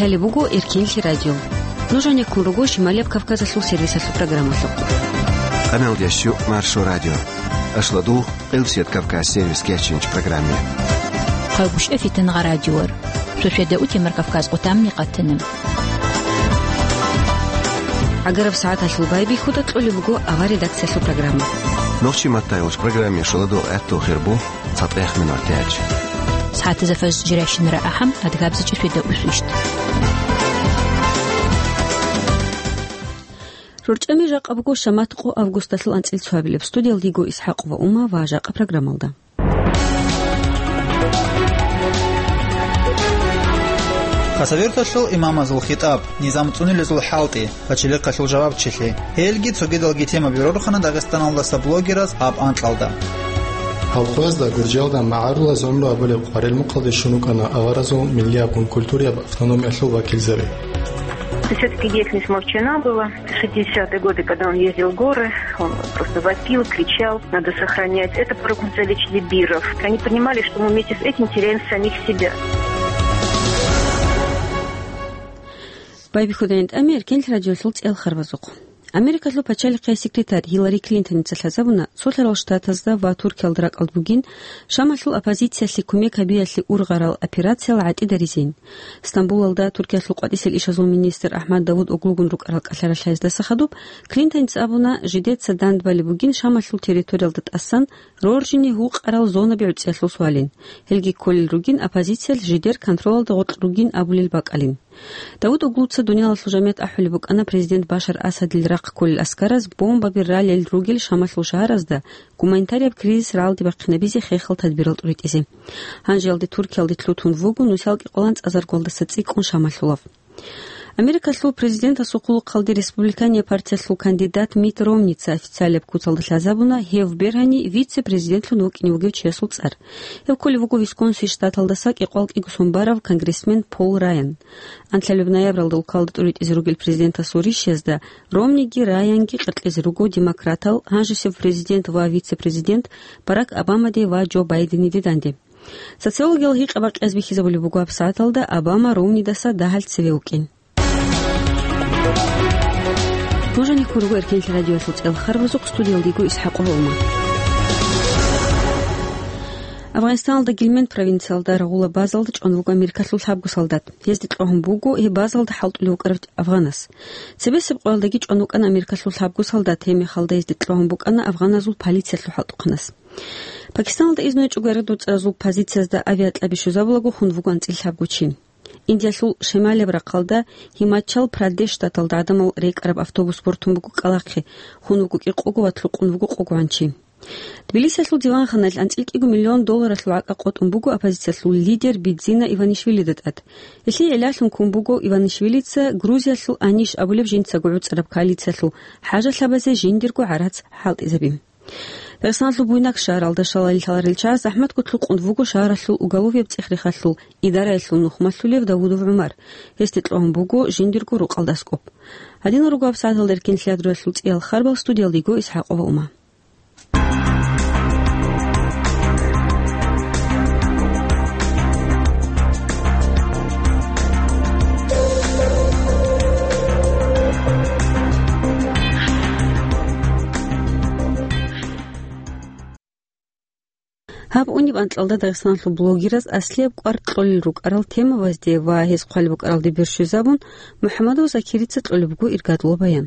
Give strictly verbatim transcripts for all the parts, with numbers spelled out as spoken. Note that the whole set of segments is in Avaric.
Гьале буго Эркенлъи радио. Нуж гьанеккун руго Шималияб Кавказалъул сервисалъул программалъухъ. Къамелдящу Маршо радио. Ашладу, Къилсият Кавказ сервис кечинч программе. Хъалгушев Фитангъа радиор. Сосведа утемар Кавказ къутамни къатанем. ГӀагараб сагӀаталъул байбихьуда кьолеб буго авар редакциялъул программа. Нохчи маттайолч программе шуладу гӀатту хирбу. ЦатӀех минутач. СагӀатазда фаз жирайщинара ахӀам, адгабзачӀи светда усвищт. РорчӀами жакъа буго шамат къо августалъул анцӀил цоабилеб. Студиялдиго ИсхӀакъ ва Ума ва жакъа программалда. Хасавюрталъул имамазул хитӀаб, низам цӀунилезул хӀалтӀи, пачалихъалъул жавабчилъи. Гьелги цогидалги темаби рорхана Дагъистаналдаса блогераз гьаб анкьалда. Гьалхъуязда Гуржиялда магӀарулаз гӀумру абулеб къварилмухъалде щун вукӀана аваразул миллияб ва культурияб автономиялъул вакилзаби. Всё-таки деятельность Мовчана была. Шестидесятые годы, когда он ездил в горы, он просто вопил, кричал: «Надо сохранять». Это пророк Мурзалич Либиров. Они понимали, что мы вместе с этим теряем самих себя. Байбихьудайин тӀами Эркенлъи радиолъул цӀел харбазухъ. Америкалъул пачалихъе секретарь Гьиллари Клинтоница лъазабуна, Цолъарал Штатазда ва Туркиялда ракӀалда бугин Шамалъул оппозициялъе кумек гьабиялъе ургъарал операциял гӀатӀидаризейин. Стамбулалда Туркиялъул къватӀисел ишазул министр Ахмад Давуд Оглугун рукӀарал кӀалъаралъаздаса хадуб, Клинтоница абуна, жидеца дандбали бугин Шамалъул территориялда тӀасан роржине гьукъарал зонаби гӀуцӀиялъул суалин. Гьелги кколел ругин оппозициялъ жидер контролалда гъоркь ругин абулел бакӀалин. Давуд Оглуца дуниялалъул жамият ахӀулеб букӀана президент Башар Асадил рахъ кколел аскараз бомбаби ралел ругел Шамалъул шагьаразда гуманитарияб кризис рагӀалде бахъинабизе хехал тадбирал тӀуритӀизе. Гьанжеялде Туркиялде лъутун вуго нусал кӀикъоялда цӀазаргоялдаса цӀикӀкӀун Шамалъулав. Америкалъул президентасул хъулухъалде республикания партиялъул кандидат Митт Ромница официалияб куцалда лъазабуна гьев бергьани вице-президентлъун вукӀине вугев чиясул цӀар. Гьев кколев вуго Висконсин штаталдаса кӀикъоялда кӀиго сон барав конгрессмен Пол Райан. Анлъабилеб ноябралда улкалда тӀуритӀизе ругел президентасул ришязда Ромниги Райанги къеркьезе руго демократал, гьанжесев президент ва вице-президент Барак Обамаде ва Джо Байдениде данде. Социологиял гьикъа-бакъиялъ бихьизабулеб буго гьаб сагӀаталда Обама Ромнидаса дагьал цеве вукӀин. Нуж гьанеккун руго Эркенлъи радиоялъул цӀел харбазухъ, студиялдиго ИсхӀакъ ва Ума. Афганистаналда Гьелманд провинциялда рагъула базалда чӀван вуго Америкалъул лъабго солдат. Гьезде кьогьун буго гьеб базалда хӀалтӀулев вукӀарав афганас. Цебесеб къоялдаги чӀван вукӀана Америкалъул лъабго солдат, гьеб мехалда гьезде кьогьун букӀана афганазул полициялъул хӀалтӀухъанас. Пакистаналда изну гьечӀого яргъи доцӀаразул позициязда авиакьаби щвезабулаго хун вуго анцӀила лъабго чи. Индиялъул шималияб рахъалда Гьимачал Прадеш штаталда гӀадамал рекӀараб автобус бортун буго кӀкӀалахъе, хун вуго кӀикъого ва лъукъун вуго къогогӀан чи. Тбилисиялъул диванханаялъ анцӀила кӀиго миллион долларалъул гӀакӀа къотӀун буго оппозициялъул лидер Бидзина Иванишвилида тӀад. Гьелъие гӀиллалъун ккун буго Иванишвилица Грузиялъул АНИШ абулеб жинцаго гӀуцӀараб коалициялъул хӀажалъабазе жиндирго гӀарац хӀалтӀизаби. Дагъистаналъул Буйнакск шагьаралда шалалъ лъаларел чагӀаз захӀматго лъукъун вуго шагьаралъул уголовияб цӀех-рехалъул идараялъул нухмалъулев Давудов ГӀумар. Гьесде кьогьун буго жиндирго рукъалда аскӀоб. Гьадинал руго гьаб сагӀаталда Эркенлъи радиоялъул цӀиял харбал, студиялдиго ИсхӀакъ ва Ума. Гьаб унеб анкьалда Дагъистаналъул блогераз аслияб кӀвар кьолел рукӀарал темабазде ва гьез хъвалеб букӀаралде берщвезабун, МухӀаммадов Закирица кьолеб буго иргадлъул баян.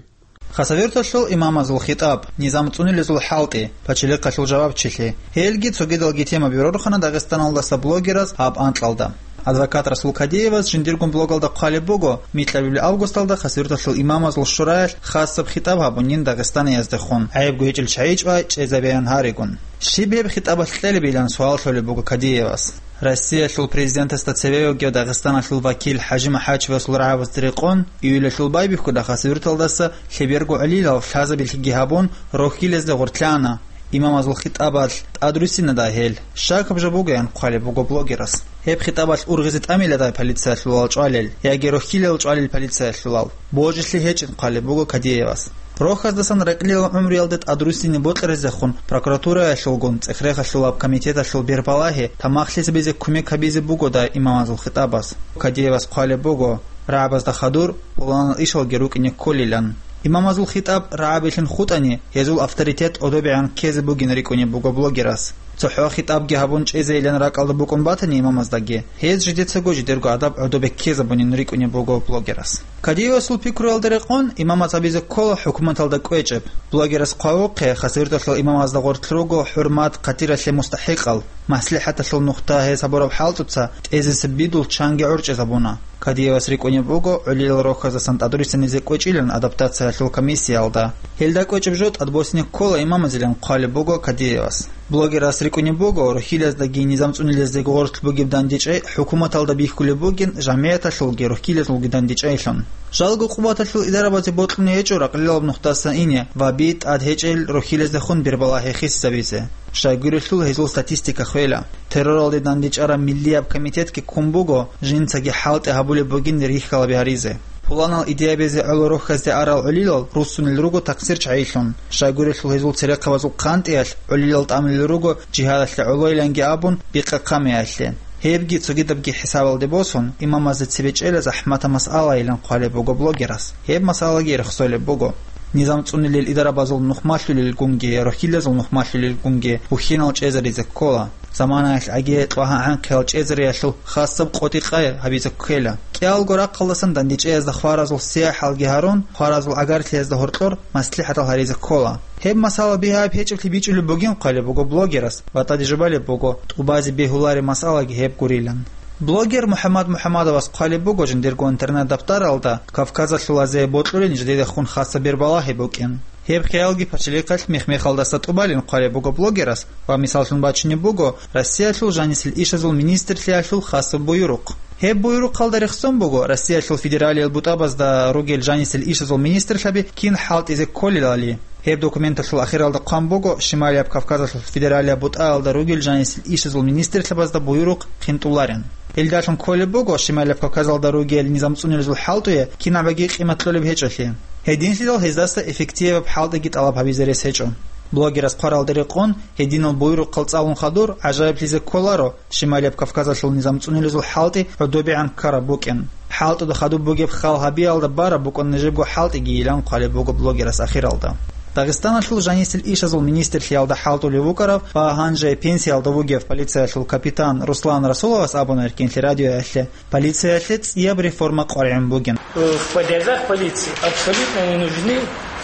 Хасавюрталъул имамазул хитӀаб, низам цӀунилезул хӀалтӀи, пачалихъалъул жавабчилъи, гьелги цогидалги темаби рорхана Дагъистаналдаса блогераз гьаб анкьалда. Адвокат Расул Кадиевас жиндиргун блогалда хъвалеб буго, микьабилеб августалда Хасавюрталъул имамазул шураялъ хасаб хитӀаб гьабунин Дагъистанияздехун, гӀайибго гьечӀел чагӀи чӀвай чӀезабеян гьаригун. Щиб гьеб хитӀабалъ кьелебилан суал лъолеб буго Кадиевас. Россиялъул президентасда цеве вугев Дагъистаналъул вакил ХӀажи МухӀачевасул рагӀабазда рекъон, июлалъул байбихьуда Хасавюрталдаса лъеберго гӀолилал лъазабилъиги гьабун, рохьилезде гъорлъана. Имамазул хитӀабалъ тӀадруссинада гьел. Щакаб жо бугоян хъвалеб буго блогерас. Гьеб хитӀабалъ ургъизе тӀамиладай полициялъулал чӀвалел, яги рохьилел чӀвалел полициялъулал. Божилъи гьечӀин хъвалеб буго Кадиевас. Рохьаздасан рекьлил гӀумруялде тӀадруссине бокьаризехун прокуратураялъулгун цӀех-рехалъулаб комитеталъул бербалагьи тамахлъизабизе кумек гьабизе бугодай имамазул хитӀабас. Кадиевас хъвалеб буго, рагӀабазда хадур, пуланал ишалги рукӀине кколилан. Имамазул хитӀаб рагӀабилъун хутӀани, гьезул авторитет гӀодобегӀан ккезе бугин рикӀкӀунеб буго блогерас. ЦохӀо хитӀабги гьабун чӀезейилан ракӀалда букӀун батани имамаздаги, гьез жидецаго жидерго адаб гӀодобе ккезабунин рикӀкӀунеб буго блогерас. Кадиевасул пикруялда рекъон, имамаз гьабизе ккола хӀукуматалда кӀвечӀеб. Блогерас хъвавухъе, хасавюрталъул имамазда гъорлъ руго хӀурмат хъатиралъе мустахӀикъал, маслихӀаталъул нухда гьез гьабураб хӀалтӀуца тӀезесеб бидул чанги гӀорчӀизабуна. Кадиевас рикӀкӀунеб буго гӀолилал рохьаздасан тӀадруссинизе кӀвечӀилан адаптациялъул комиссиялда. Гьелда кӀвечӀеб жо тӀадбосине ккола имамазилан хъвалеб буго Кадиевас. Блогерас рикӀкӀунеб буго рухьилаздаги низам цӀунилаздаги гъорлъ бугеб дандечӀей хӀукуматалда бихьулеб бугин, жамигӀаталъулги рухьилазулги дандечӀейилъун. Жалго къуваталъул идарабазе бокьуне гьечӀо ракълилаб нухдасан ине ва би тӀад гьечӀел рухьилаздехун бирбалагьи хисизабизе. Щайгурелъул гьезул статистика хвела. Терроралде дандечӀараб миллияб комитетги ккун буго, жинцаги хӀалтӀи гьабулеб бугин рихьалаби гьаризе. Пуланал идеябизе гӀоло рохьазде арал гӀолилал руссунел руго такъсир чагӀилъун. Щайгурелъул гьезул церехъабазул хъантӀиялъ гӀолилал тӀамулел руго жигьадалъе гӀолойиланги абун бикъа-хъамиялъе. Гьебги цогидабги хӀисабалде босун, имамазда цебе чӀела захӀматаб масъалайилан хъвалеб буго блогерас. Гьеб масъалаги рехсолеб буго. Низам цӀунилел идарабазул нухмалъулелгунги, рухьилазул нухмалъулелгунги бухьинал чӀезаризе ккола. Заманаялъ гӀаги тӀлагьа-гӀанхъиял чӀезариялъул хасаб къотӀи-къай гьабизе ккела. КӀиялго рахъалдасан дандечӀеязда хваразул сияхӀалги гьарун, хваразул гӀагарлъиязда гьоркьор маслихӀатал гьаризе ккола. Гьеб масала бигьаяб гьечӀеблъи бичӀчӀулеб бугин хъвалеб буго блогерас ва тӀаде жубалеб буго, тӀубазе бегьулареб масалаги гьеб гурилан. Блогер МухӀаммад МухӀаммадовас хъвалеб буго жиндирго интернет-даптаралда Кавказалъулазе бокьулин жидедехун хасаб бирбалагьи букӀин. Гьеб хиялги пачалихъалъ мех-мехалдаса тӀубалин хъвалеб буго блогерас ва мисаллъун бачунеб буго Россиялъул жанисел ишазул министрлъиялъул хасаб буюрухъ. Гьеб буюрухъалда рехсон буго Россиялъул федералиял бутӀабазда ругел жанисел ишазул министрлъаби кин хӀалтӀизе кколелали. Гьеб документалъул ахиралда хъван буго Шималияб Кавказалъул федералияб бутӀаялда ругел жанисел ишазул министрлъабазда буюрухъ хинтӀуларин. Гьелдалъун кколеб буго Шималияб Кавказалда ругел низам цӀунилазул хӀалтӀуе кинабаги къимат кьолеб гьечӀолъи. Гьединлъидал гьездаса эффективаб хӀалтӀиги тӀалаб гьабизе рес гьечӀо. Блогерас хъваралда рекъон, гьединал буюрухъал цӀалун хадур гӀажаиблъизе кколаро Шималияб Кавказалъул низам цӀунилазул хӀалтӀи гӀодобегӀан ккараб букӀин. ХӀалтӀуда хадуб бугеб хал гьабиялда бараб букӀун нижебго хӀалтӀигийилан хъвалеб буго блогерас ахиралда. Дагъистаналъул жанисел ишазул министрлъиялда хӀалтӀулев вукӀарав ва гьанже пенсиялда вугев полициялъул капитан Руслан Расуловас абуна Эркенлъи радиоялъе, полициялъе цӀияб реформа къваригӀун бугин. В подъездах полиции абсолютно не нужны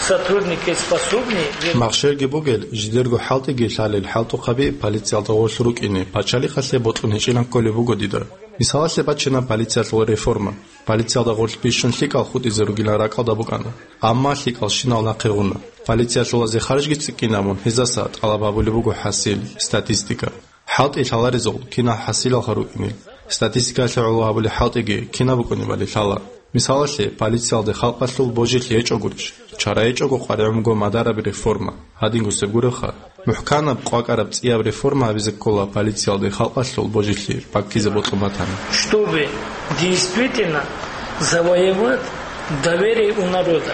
сотрудники, способные вер- Махщелги бугел, жидерго хӀалтӀиги лъалел хӀалтӀухъаби полициялда гъорлъ рукӀине пачалихъалъе бокьун гьечӀилан кколеб буго дида. Мисалалъе бачина полициялъул реформа. Полициялда гъорлъ бищун лъикӀал хутӀизе ругилан ракӀалда букӀана, амма лъикӀал щинал нахъе гъуна. Полициялъулазе харжги цӀикӀкӀинабун гьездаса тӀалаб гьабулеб буго хӀасил, статистика. ХӀалтӀи лъаларезул кинал хӀасилалха рукӀинел, статистикаялъе гӀоло гьабулел хӀалтӀиги кинаб букӀунебали лъала. Мисалалъе, полициялде халкъалъул божилъи гьечӀогурищ? Чара гьечӀого къваригӀун буго мадараби реформа. Гьадин гусеб гуребха, мухӀканаб, къвакӀараб цӀияб реформа гьабизе ккола полициялде халкъалъул божилъи баккизе бокьун батани. Чтобы действительно завоевать доверие у народа.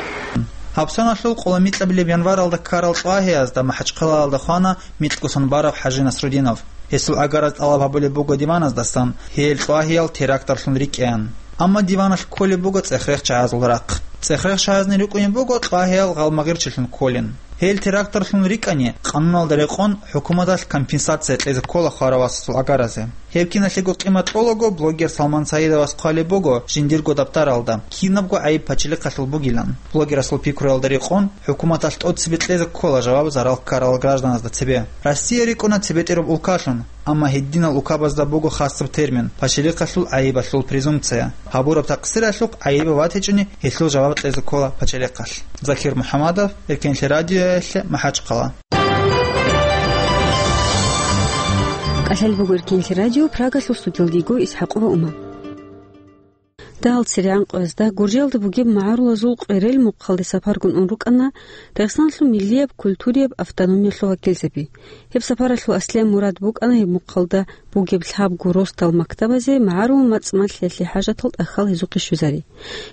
Гьабсаналъул къоло микьабилеб январалда ккарал ЛъагӀиязда МахӀачхъалаялда хвана микьгусон бараб ХӀажи Насрудинов. Гьесул гӀагараз тӀалаб гьабулеб буго диваназдасан, гьел ЛъагӀиял терактарлъун рикӀкӀеян. Амма диваналъ кколеб буго цӀех-рех чагӀазул рахъ. ЦӀех-рех чагӀазни рукӀунеб буго ЛъагӀиял гъалмагъирчилъун кколин. Гьел терактарлъун рикӀкӀани, къануналда рекъон, хӀукуматалъ компенсация кьезе ккола хварав васасул гӀагаразе. Гьеб киналъего къимат кьолаго блогер Салман Саидовас хъвалеб буго жиндирго даптаралда, кинабго гӀайиб пачалихъалъул бугилан. Блогерасул пикруялда рекъон, хӀукуматалъ тӀоцебе кьезе ккола жаваб зарал ккарал гражданазда цебе. Россия рикӀкӀуна цебетӀераб улкалъун, амма гьединал улкабазда буго хасаб термин – пачалихъалъул гӀайибалъул презумпция. Гьабураб такъсиралъухъ гӀайибав ватичӀони, гьелъул жаваб кьезе ккола пачалихъалъ. Закир МухӀамадов, Эркенлъи радиоялъе, МахӀачхъала. КӀалъалеб буго Эркенлъи радио, Прагалъул студиялдего ИсхӀакъова Ума. Дагьал церегӀан къоязда Гуржиялда бугеб магӀарулазул къверел мухъалде сапаргун ун рукӀана Дагъистаналъул миллияб культурияб автономиялъул вакилзаби. Гьеб сапаралъул аслияб мурад букӀана гьеб мухъалда бугеб лъабго росдал мактабазе магӀарул мацӀ-малъиялъе хӀажатал тӀахьал гьезухъе щвезари.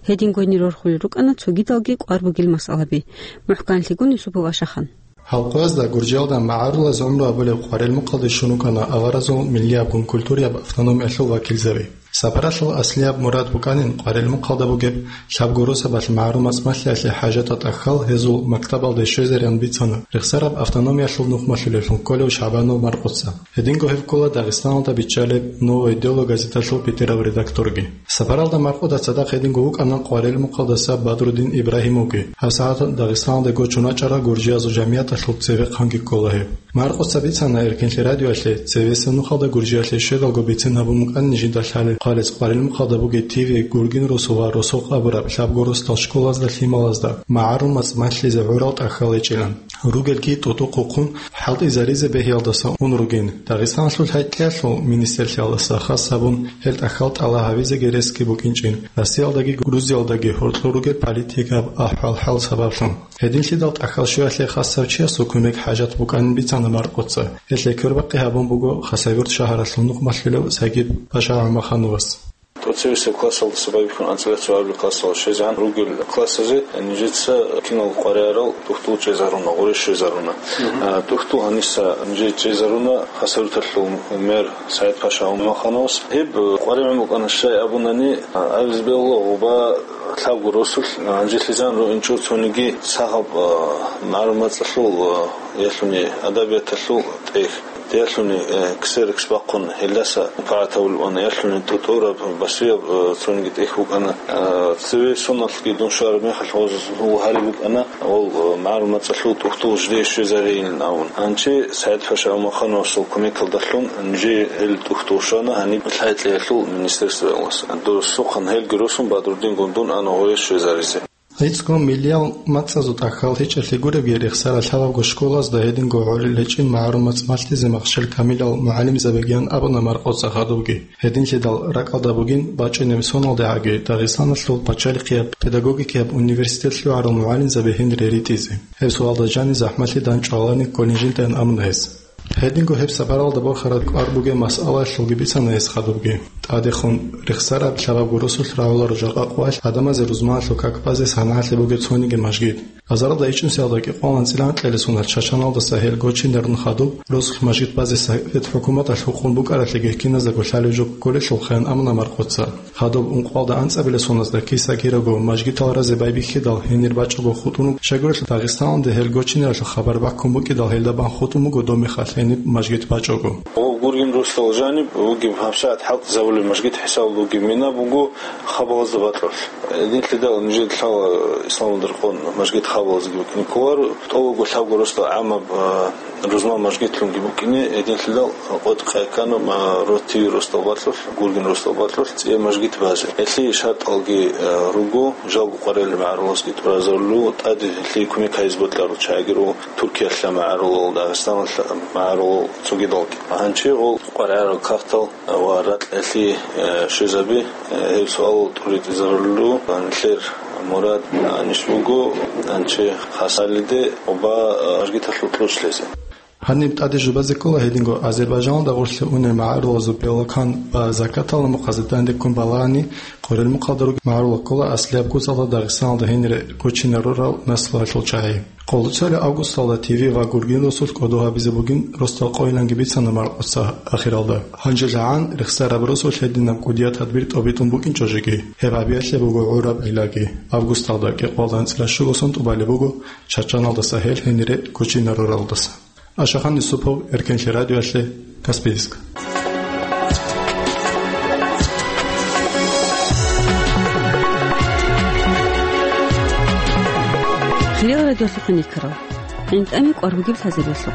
Гьедин гвенир рорхулел рукӀана цогидалги кӀвар бугел масъалаби. МухӀканлъигун Юсупов Ашахан. Гьал къоязда Гуржиялда магӀарулаз гӀумру гьабулеб къверел мухъалде щун рукӀана аваразул миллиябгун культурияб автономиялъул вакилзаби. Сапаралъул аслияб мурад букӀанин къварилмухъалда бугеб лъабго росабалъ магӀарул мацӀ малъиялъе хӀажатал тӀахьал гьезул мактабалде щвезариялъун бицана рехсараб автономиялъул нух малъулевлъун кколев ШагӀбанов Маркъоца. Гьединго гьев ккола Дагъистаналда биччалеб «Новое дело» газеталъул бетӀерав редакторги. Сапаралда Маркъода цадахъ гьединго вукӀана къварилмухъалдаса Бадрудин Ибрагьимовги. ГьабсагӀат Дагъистаналде гочун вачӀарал гуржиязул жамигӀаталъул цевехъанги ккола гьев. Маркъоца бицана Эркенлъи радиоялъе, цевесеб нухалда Гуржиялъе щведалго бицин гьабун букӀанин жинда лъалеб хъалец къварилмухъалда бугеб ТВ, гургин росу ва росулъ абураб лъабго росдал школазда, лъималазда магӀарул мацӀ малъизе гӀурал тӀахьал гьечӀилан. Ругелги тӀутӀухъухъун хӀалтӀизаризе бегьиялдаса ун ругин. Дагъистаналъул хӀетӀлъиялъул министрлъиялдаса хас гьабун гьел тӀахьал тӀалаб гьабизеги ресги букӀинчӀин, Россиялдаги Грузиялдаги гьоркьор ругел политикаб ахӀвал-хӀал сабаблъун. Гьединлъидал тӀахьал щвеялъе хасав чиясул кумек хӀажат букӀанин бицана Маркъоца. Гьелъе квербакъи гьабун буго Хасавюрт шагьаралъул нух малъулев Сагид-паша ГӀумахановас. ТӀоцевесеб классалдаса байбихьун анцӀила цоабилеб классалде щвезегӀан ругел классазе нижеца кинал къваригӀарал тӀухьдул чӀезаруна, гъоре щвезаруна. Мгм. А, тӀухьдул гьаниса нижее чӀезаруна Хасавюрталъул мэр СагӀид-паша ГӀумахановас. Гьеб къваригӀун букӀана, щай абунани, а, абизе бегьула гъоба лъабго росулъ, а, гьанжелъизан руинчӀо цониги сахаб, а, магӀарул мацӀалъул, а, ялъуни адабияталъул тӀехь. Ялъуни, э, ксерокс бахъун гьелдаса пагӀат гьабулеб ана, ялъуни тӀутӀураб, басуяб, э, цониги тӀехь букӀана. Э, цеве соналъги дун щвараб мехалъ гъоз гьариб букӀана, гъол, э, магӀарул мацӀалъул тӀухьдул жде щвезарейилан абун. Гьанже СагӀид-паша ГӀумахановасул кумекалдалъун нижее гьел тӀухьдул щвана гьаниб лъай-кьеялъул министерствоялдаса. Досухъан гьелги росун Бадрудингун дун ана гъое щвезаризе. ГӀицӀго миллиял мацӀазул тӀахьал гьечӀелъи гуребги рехсарал лъабабго школазда гьединго гӀолил гьечӀин магӀарул мацӀ малъизе махщел камилал мугӀалимзабигиян абуна Маркъоца хадубги. Гьединлъидал ракӀалда бугин бачӀунеб соналдегӀаги Дагъистаналъул пачалихъияб педагогикияб университет лъугӀарал мугӀалимзаби гьенире ритӀизе. Гьеб суалда жаниб захӀмалъи данчӀвалани кколин жиндаан абуна гьес. Гьединго гьеб сапаралда борхараб кӀвар бугеб масъалаялъулги бицана гьес хадубги. ТӀадехун рехсараб лъабабго росулъ рагӀуларо жакъа къоялъ гӀадамазе рузманалъул как базе санагӀалъи бугеб цониги мажгит. Азаралда ичӀнусиялда кӀикъоялда анцӀила анкьабилеб соналъ Чачаналдаса гьел гочинарун хадуб, росулъ мажгит базе Совет хӀукуматалъ гьукъун букӀаралъеги гьикиназдаго лъалеб жо кколелъул хъван амуна Маркъоца. Хадуб ункъоялда анцӀабилеб соназда киса-кираго мажгитал разе байбихьидал гьенир бачӀого хутӀун вуго, щайгурелъул Дагъистаналде гьел гочинаралъул хабар баккун букӀидал гьелда бан хутӀун буго доб мехалъ гьениб мажгит бачӀого. Гъо гургин росдал жаниб вугеб гьабсагӀат хӀалтӀизабулеб мажгит хӀисабалда вугеб мина буго хабалазда бакьулъ. Гьединлъидал нижеда лъала исламалда рекъон мажгит хабалазги букӀине кколаро, тӀолго лъабго росдал гӀамаб, а, рузман мажгитлъунги букӀине, гьединлъидал къотӀи къайккана, а, ротиви росдал бакьулъ, гургин росдал бакьулъ цӀияб мажгит базе. Гьелъие шартӀалги, а, руго, жалго къваригӀел магӀарулазги тӀуразарулев, тӀаде гьелъие кумек гьабизе бокьарал чагӀиги руго, Туркиялъа магӀарулал, Дагъистаналъа магӀарулал цогидалги. Гьанже гъол къваригӀарал кагътал ва ракьалъе, э, щвезаби, э, гьеб суал тӀуритӀизарулел, нилъер мурад, э, ниж буго, нанче хасалиде оба, э, аргиталъул кьуш лъезе. Гьаниб тӀаде жубазе ккола гьединго Азербайжаналда гъорлъе унел магӀарулазул белокан ва закатал мухъазе данде ккун балагьани, къварилмухъалда ругел магӀарулал ккола аслияб куцалда Дагъистаналда гьенире гочинарурал наслуялъул чагӀи. Къолоцалияб августалда ТВ ва гургин росулъ кӀодо гьабизе бугин росдал къойиланги бицана Маркъоца ахиралда. Гьанже жагӀан рехсараб росулъ гьединаб кӀудияб тадбир тӀобитӀун букӀинчӀо жеги. Гьеб гьабиялъе буго гӀураб гӀиллаги. Августалда кӀикъоялда анцӀила щуго сон тӀубалеб буго Чачаналдаса гьел гьенире гочинаруралдаса. Ашахан Юсупов, Эркенлъи радиоялъе, Каспийск. Хириял радиолъухъ хъван риккарал, гӀинтӀаме кӀвар бугеб лъазабиялъухъ.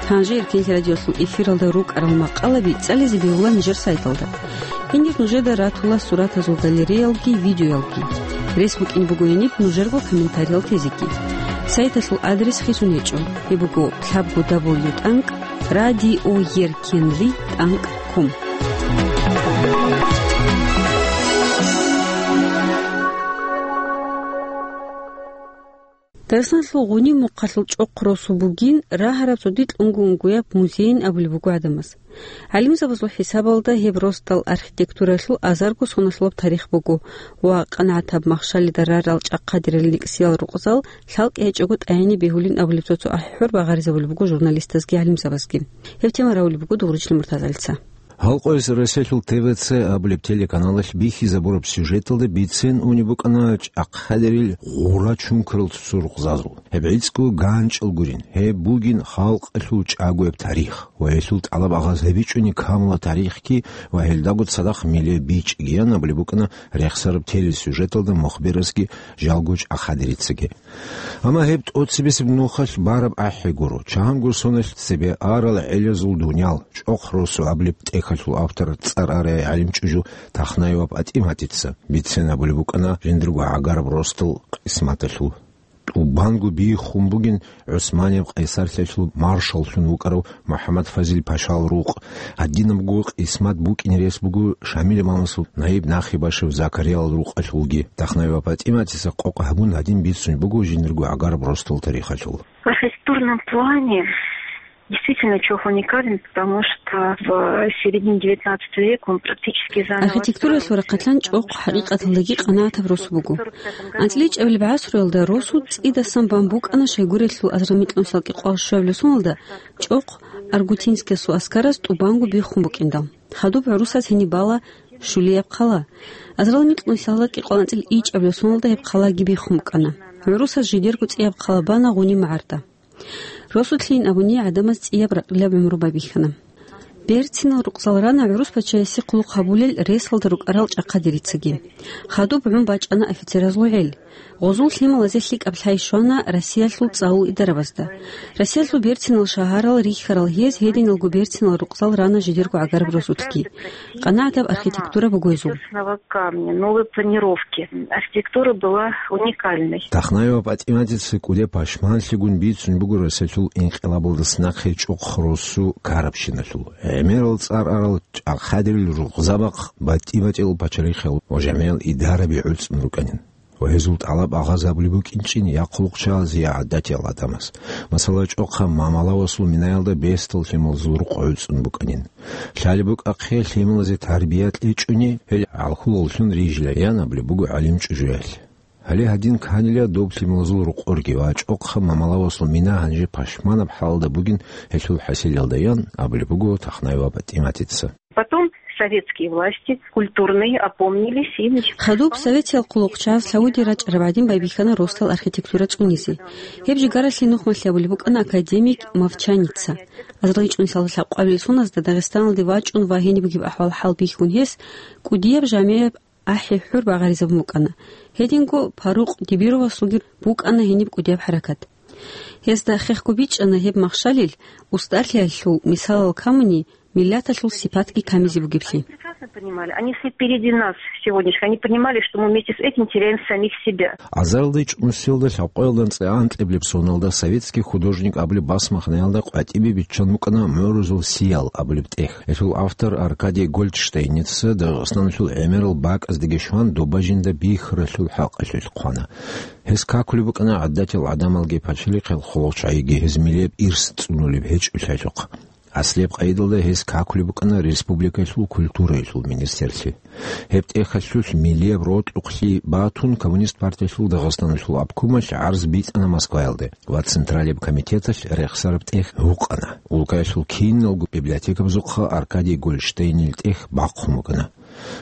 Гьанже Эркенлъи радиолъул эфиралда рукӀарал макъалаби цӀализе бегьула нижер сайталда. Гьенир нужеда ратула суратазул галереялги, видеоялги. Рес букӀине буго гьениб нужерго комментариял тезеги. Сайталъул адрес хисун гьечӀо. Гьеб буго лъабго дабл ю тӀанкӀ радиоеркенлъи тӀанкӀ ком. Дагъистаналъул гъуниб мухъалъул чӀохъ росу бугин рагьараб цо дикьунго унгояб музейин абулеб буго гӀадамаз. ГӀалимзабазул хӀисабалда гьеб росдал архитектуралъул азарго соналъулаб тарих буго ва къанагӀатаб махщалида рарал чӀахъадирал рикӀсиял рукъзал лъалкӀи гьечӀого тӀагӀине бегьулин абулеб цо-цо ахӀи-хӀур багъаризабулеб буго журналистазги гӀалимзабазги. Гьеб тема равулеб буго Дугъричлъи Муртазалица. Гьалкъояс Россиялъул Т В Ц абулеб телеканалалъ бихьизабураб сюжеталда бицен унеб букӀана чӀахъадерил гъура чункарал цо рукъзазул. Гьеб гӀицӀго ганчӀал гурин, гьеб бугин халкъалъул чӀагояб тарих ва гьелъул тӀалаб агъаз гьабичӀони камула тарихги ва гьелдаго цадахъ миле бичӀгиян абулеб букӀана рехсараб телесюжеталда мухбирасги жалго чӀахъадерицаги. Амма гьеб тӀоцебесеб нухалъ бараб ахӀи гуро, чанго соналъ цебе арал гӀелазул дуниял, чӀохъ росу абулеб тӀехьалъул автор цӀар арай гӀалимчӀужу Тахнаева ПатӀиматица бицен абулеб букӀана жиндирго гӀагараб росдал къисматалъул. ТӀубанго биххун бугин ГӀусманияб къайсарлъиялъул маршаллъун вукӀарав МухӀаммад Фазил пашал рукъ, гьадинабго къисмат букӀине рес буго Шамил имамасул наиб нахибашев Закариял рукъалъулги. Тахнаева ПатӀиматица къокъ гьабун гьадин бицун буго жиндирго гӀагараб росдал тарихалъул. В архитектурном плане действительно чӀохъ уникален, потому что в середине девятнадцатого века он практически заново Архитектуралъул строился. Рахъалъан чӀохъ хӀакъикъаталдаги къанагӀатаб рос буго. АнцӀила ичӀабилеб гӀасруялда росу цӀидасан бан букӀана Шойгурелъул азарал микьнусиялда кӀикъоялда щуабилеб соналда чӀохъ Аргутинскиясул аскараз тӀубанго биххун букӀиндал. Хадуб гӀурусаз гьениб бала Шулияб хъала. Азарал микьнусиялда кӀикъоялда анцӀила ичӀабилеб соналда гьеб хъалаги биххун букӀана. ГӀурусаз жидерго цӀияб хъала бана Гъуни магӀарда. Росулъейин абуни гӀадамаз цӀияб ракьилаб гӀумру байбихьана. Берцинал рукъзал рана гӀурус пачаясе хъулухъ гьабулел ресалда рукӀарал чӀахъадерицаги. Хадуб гӀун бачӀана офицеразул гӀел. Гъозул лъималазе лъикӀаб лъай щвана Россиялъул цӀалул идарабазда. Россиялъул берцинал шагьарал рихьарал гьез гьединалго берцинал рукъзал рана жидерго гӀагараб росулъги. КъанагӀатаб архитектура буго гьезул. Камня, новой планировки. Архитектура была уникальной. Тахнаева ПатӀиматица кӀудияб пашманлъигун бицун буго Россиялъул инкъилабалдаса нахъе чӀохъ росу ккарабщиналъул. ГӀемерал цӀар арал чӀахъадерил рукъзабахъ батӀи-батӀиял пачалихъал ва жамгӀиял идараби гӀуцӀун рукӀанин. Ва гьезул тӀалаб агъазабулеб букӀинчӀин я хъулухъчагьазе, я гӀадатиял гӀадамаз. Масала, чӀохъа Мамалавасул минаялда бесдал лъималазул рукъ гӀуцӀун букӀанин. Лъалеб букӀахъе лъималазе тарбия кьечӀони, гьел гӀалхулаллъун рижила, ян абулеб буго гӀалимчӀужуялъ. Гьале гьадин кканила доб лъималазул рукъорги ва чӀохъа Мамалавасул мина гьанже пашманаб хӀалда бугин гьелъул хӀасилалда, ян абулеб буго Тахнаева ПатӀиматица. Потом советские власти культурные опомнились и начали. Хадуб советиял хъулухъчагьаз лъавуде рачӀараб гӀадин байбихьана росдал архитектура цӀунизе. Гьеб жигаралъе нухмалъи абулеб букӀана академик Мовчаница. АзарилчӀунлъала лъабкъоялда соназда Дагъистаналде вачӀун ва гьениб бугеб ахӀвал-хӀал бихьун гьес кӀудияб жамигӀаб ахӀи-хӀур багъаризабун букӀана. Гьединго Парукъ Дибировасулги букӀана гьениб кӀудияб хӀаракат. Гьезда хехго бичӀчӀана гьеб махщалил устӀарлъиялъул мисалал камуни, миллаталъул сипатги камизе бугеблъи. Прекрасно понимали. Они все впереди нас сегодняшних. Они понимали, что мы вместе с этим теряем самих себя. АзарилчӀунлъиялда лъабкъоялда анцӀила анкьабилеб соналда советский художник абулеб басмахъиналда къватӀибе биччан букӀана «МугӀрузул сиял» абулеб тӀехь. Гьелъул автор Аркадий Гольдштейница Дагъистаналъул гӀемерал бакӀаздеги щван доба жинда бихьаралъул хӀакъалъулъ хъвана. Гьес какулеб букӀана гӀадатиял гӀадамалги пачалихъал хъулухъчагӀиги гьез миллияб ирс цӀунулеб гьечӀолъиялъухъ. Аслияб къайдалда гьес какулеб букӀана республикалъул культураялъул министрлъи. Гьеб тӀехьалъулъ миллияб рокьухълъи батун, Коммунист партиялъул Дагъистаналъул обкомалъ гӀарз бицана Москваялде ва Централияб комитеталъ рехсараб тӀехь гьукъана. Улкаялъул киналго библиотекабазухъа Аркадий Гольштейнил тӀехь бахъун букӀана.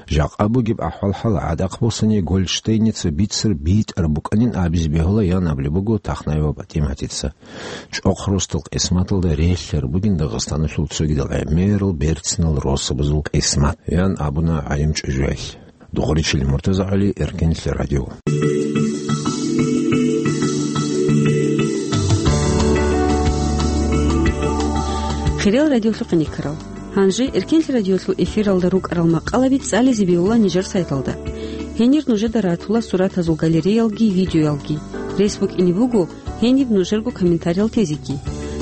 Жакъа бугеб ахӀвал-хӀал гӀадахъ босани, Гольштейница бицар битӀараб букӀанин абизе бегьула, ян абулеб буго Тахнаева ПатӀиматица. ЧӀохъ росдал къисматалда релълъараб бугин Дагъистаналъул цогидал гӀемерал берцинал росабазул къисмат, ян абуна гӀалимчӀужуялъ. Духаричил МуртазагӀали, Эркенлъи радио. Хириял радиолъухъ никарал. Гьанже Эркенлъи радиолъул эфиралда рукӀарал макъалаби цӀализе бегьула нижер сайталда. Гьенир нужеда ратула суратазул галереялги видеоялги. Рес букӀине буго гьениб нужерго комментариял тезеги.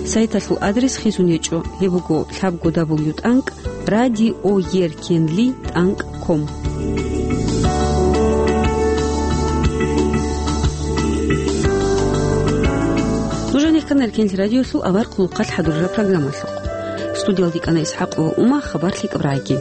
Сайталъул адрес хисун гьечӀо, гьеб буго лъабго дабл ю тӀанкӀ радиоеркенлъи тӀанкӀ ком. Нуж гьанихъан Эркенлъи радиолъул авар хъулухъалъ хӀадурараб программалъухъ. Студиялда йикӀана ИсхӀакъова Ума, хабар лъикӀаб рагӀиги.